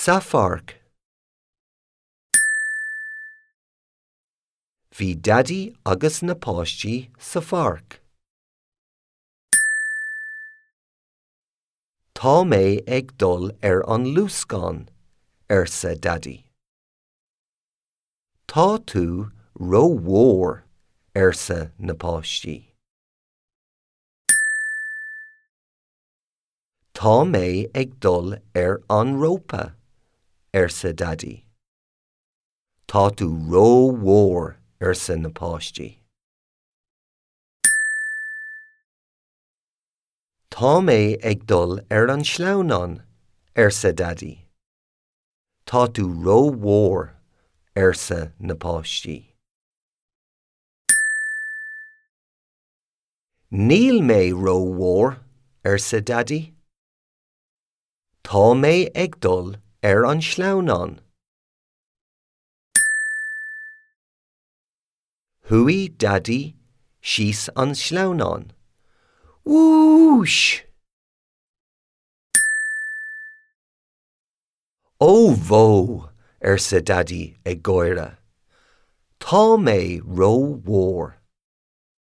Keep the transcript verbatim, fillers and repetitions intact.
Sa pháirc. Bhí Daidí agus na páistí sa pháirc. Tá mé ag dul ar an luascán, arsa Daidí. Tá tú rómhór, arsa na páistí. Tá mé ag dul ar an rópa, arsa Daidí. Tá tú rómhór, arsa na páistí. Tá mé ag dul ar an sleamhnán, arsa Daidí. Tá tú rómhór, arsa na páistí. Níl mé rómhór, arsa Daidí. Tá mé ag dul ar an sleamhnán. Chuaigh Daidí síos an sleamhnán. Wúis! Ó bhó, arsa Daidí ag gáire. Tá mé rómhór.